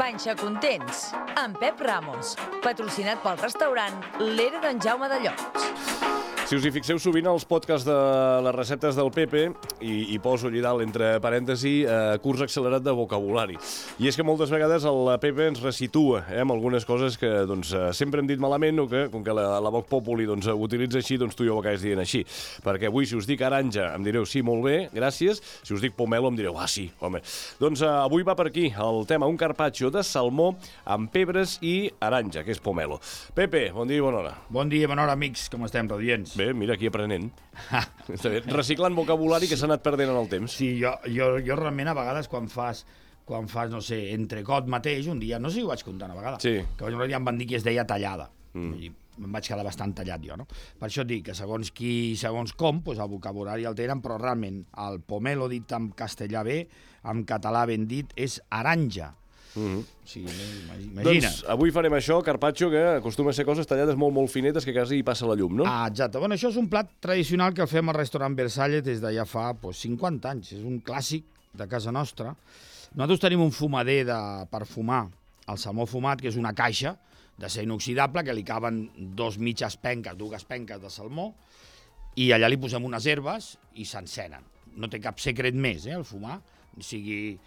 Panxa Contents, amb Pep Ramos, patrocinat pel restaurant L'Era d'en Jaume de Llots. Si us hi fixeu sovint als podcasts de les receptes del Pepe, i poso allà dalt entre parèntesi curs accelerat de vocabulari. I és que moltes vegades el Pepe ens resitua amb algunes coses que sempre hem dit malament o que, com que la Vox Populi ho utilitza així, tu i jo ho acabes dient així. Perquè avui, si us dic aranja, em direu sí, molt bé, gràcies. Si us dic pomelo, em direu sí, home. Doncs avui va per aquí el tema, un carpaccio de salmó amb pebres i aranja, que és pomelo. Pepe, bon dia i bona hora. Bon dia i bona hora, amics. Com estem, radiants? Bé, mira, aquí aprenent. Està bé. Reciclant vocabulari que s'ha anat perdent en el temps. Sí, jo realment a vegades quan fas, no sé, entrecot mateix, un dia, no sé si ho vaig contar una vegada, sí, que ja em van dir que es deia tallada. I em vaig quedar bastant tallat jo, no? Per això et dic que segons qui, segons com, doncs el vocabulari el tenen, però realment el pomelo dit en castellà bé, en català ben dit, és aranja. Sí, imagina't. Doncs avui farem això, carpaccio, que acostuma a ser coses tallades molt, molt finetes que quasi hi passa la llum, no? Ah, exacte. Bueno, això és un plat tradicional que el fem al restaurant Versalles des de ja fa 50 anys. És un clàssic de casa nostra. Nosaltres tenim un fumader per fumar el salmó fumat, que és una caixa d'acer inoxidable que li caben dues penques de salmó, i allà li posem unes herbes i s'encenen. No té cap secret més, el fumar. Sigui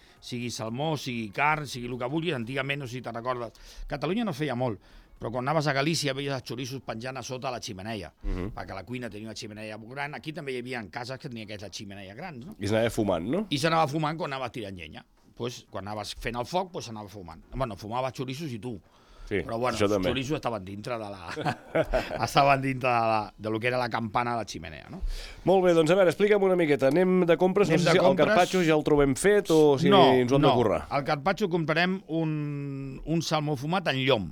salmó, sigui carn, sigui el que vulguis. Antigament, no sé si te'n recordes, Catalunya no feia molt, però quan anaves a Galícia veies els xoriços penjant a sota la ximeneia, perquè la cuina tenia una ximeneia gran. Aquí també hi havia cases que tenien aquestes ximeneies grans, no? I s'anava fumant, no? I s'anava fumant quan anaves tirant llenya. Quan anaves fent el foc, s'anava fumant. Bueno, fumaves xoriços i tu. Sí, però bueno, els xoriços estaven dintre de lo que era la campana de la ximenea, no? Molt bé, doncs a veure, explica'm una miqueta. Anem de compres? No sé si el carpaccio ja el trobem fet o si ens ho hem de currar. No, al carpaccio comprarem un salmó fumat en llom.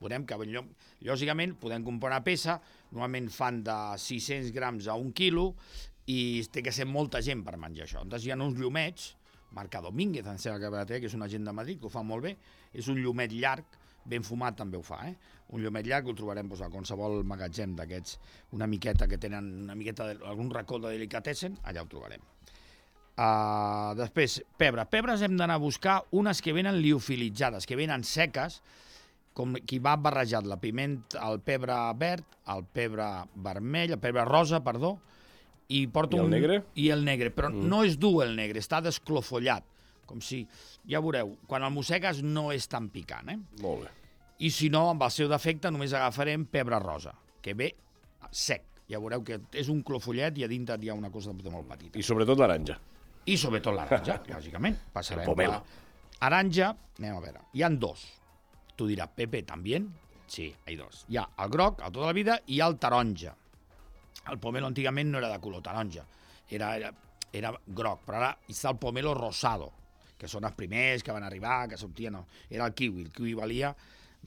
Veurem que en llom, lògicament, podem comprar una peça, normalment fan de 600 grams a 1 quilo, i té que ser molta gent per menjar això. Llavors hi ha uns llumets, marca Domínguez, em sembla que és una gent de Madrid que ho fa molt bé, és un llumet llarg, ben fumat també ho fa, un llumet llarg, ho trobarem a qualsevol magatzem d'aquests, una miqueta que tenen algun racó de delicatessen, allà ho trobarem. Després, pebres hem d'anar a buscar unes que venen liofilitzades, que venen seques, com qui va barrejat el pebre verd, el pebre vermell, el pebre rosa, perdó, i el negre? I el negre, però no és dur el negre, està desclofollat. Com si, ja veureu, quan el mossegues no és tan picant, Molt bé. I si no, amb el seu defecte, només agafarem pebre rosa, que ve sec. Ja veureu que és un clofollet i a dintre hi ha una cosa molt petita. I sobretot l'aranja. I sobretot l'aranja, lògicament. Passarem pomelo. Aranja, anem a veure, hi ha dos. Tu diràs, Pepe, també? Sí, hi ha dos. Hi ha el groc, el tota la vida, i el taronja. El pomelo antigament no era de color taronja, era groc, però ara està el pomelo rosado, que són els primers que van arribar, que sortien, era el kiwi valia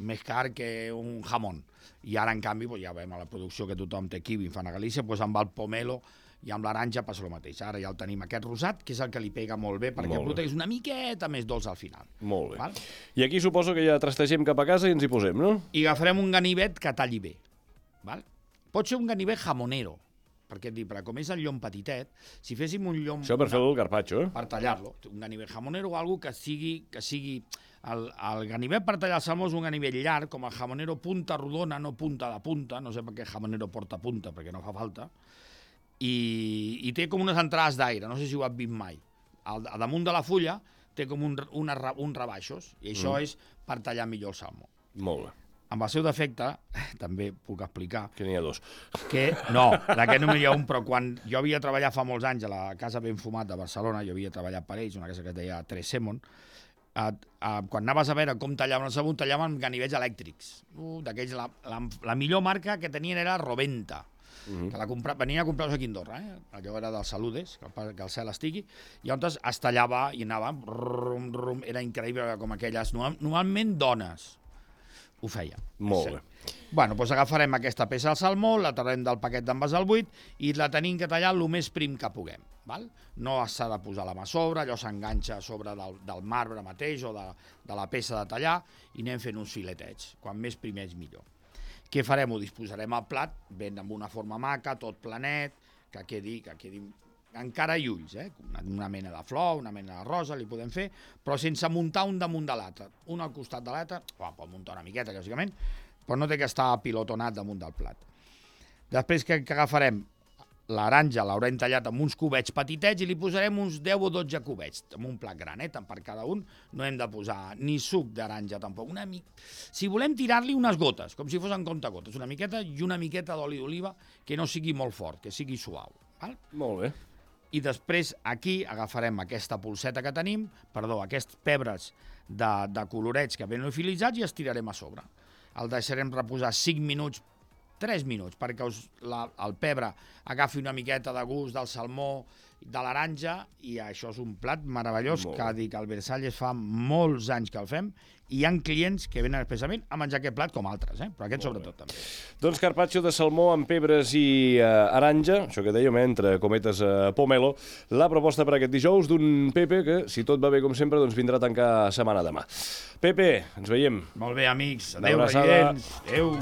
més car que un jamón, i ara en canvi ja veiem a la producció que tothom té kiwi, fan a Galícia, amb el pomelo i amb l'aranja passa el mateix. Ara ja el tenim aquest rosat, que és el que li pega molt bé, perquè el és una miqueta més dolç al final. Molt bé. I aquí suposo que ja trastegem cap a casa i ens hi posem, no? I agafarem un ganivet que talli bé. Pot ser un ganivet jamonero, perquè com és el llom petitet, si féssim un llom... Això per fer el carpaccio, Per tallar-lo. Un ganivet jamonero o alguna cosa que sigui... El ganivet per tallar el salmó és un ganivet llarg, com el jamonero punta rodona, no punta de punta, no sé per què jamonero porta punta, perquè no fa falta, i té com unes entrades d'aire, no sé si ho has vist mai. A damunt de la fulla té com uns rebaixos, i això és per tallar millor el salmó. Molt bé. Amb el seu defecte, també puc explicar... Que n'hi ha dos. No, d'aquest només hi ha un, però quan jo havia treballat fa molts anys a la Casa Ben Fumat de Barcelona, jo havia treballat per ells, una casa que es deia Tres Semon, quan anaves a veure com tallaven el sabó, tallaven ganivets elèctrics. D'aquells, la millor marca que tenien era Roventa, que venien a comprar-los aquí a Andorra, allò era dels Saludes, que el cel estigui, i llavors es tallava i anava, era increïble com aquelles, normalment dones, ho feia. Molt bé. Bueno, doncs agafarem aquesta peça del salmó, la traurem del paquet d'envasar al buit i la tenim que tallar el més prim que puguem. No s'ha de posar la mà a sobre, allò s'enganxa a sobre del marbre mateix o de la peça de tallar i anem fent uns filetets. Quan més primers millor. Què farem? Ho disposarem al plat, ben amb una forma maca, tot planet, que quedi encara i ulls, una mena de flor, una mena de rosa, li podem fer, però sense muntar un damunt de l'altre. Un al costat de l'altre, pot muntar una miqueta, lògicament, però no té que estar apilotonat damunt del plat. Després que agafarem l'aranja, l'haurem tallat amb uns cubets petitets i li posarem uns 10 o 12 cubets, amb un plat gran, tant per cada un. No hem de posar ni suc d'aranja tampoc. Si volem tirar-li unes gotes, com si fossin comptagotes, una miqueta i una miqueta d'oli d'oliva que no sigui molt fort, que sigui suau. Val? Molt bé. I després aquí agafarem aquesta polseta que tenim, aquests pebres de colorets que venen liofilitzats i els tirarem a sobre. El deixarem reposar 5 minuts, 3 minuts, perquè el pebre agafi una miqueta de gust del salmó, de l'aranja, i això és un plat meravellós que dic, al Versalles fa molts anys que el fem, i hi ha clients que venen especialment a menjar aquest plat com altres, però aquest sobretot també. Doncs carpaccio de salmó amb pebres i aranja, això que dèiem, entre cometes pomelo, la proposta per aquest dijous d'un Pepe que, si tot va bé com sempre, doncs vindrà a tancar setmana demà. Pepe, ens veiem. Molt bé, amics. Adéu, residents. Adéu.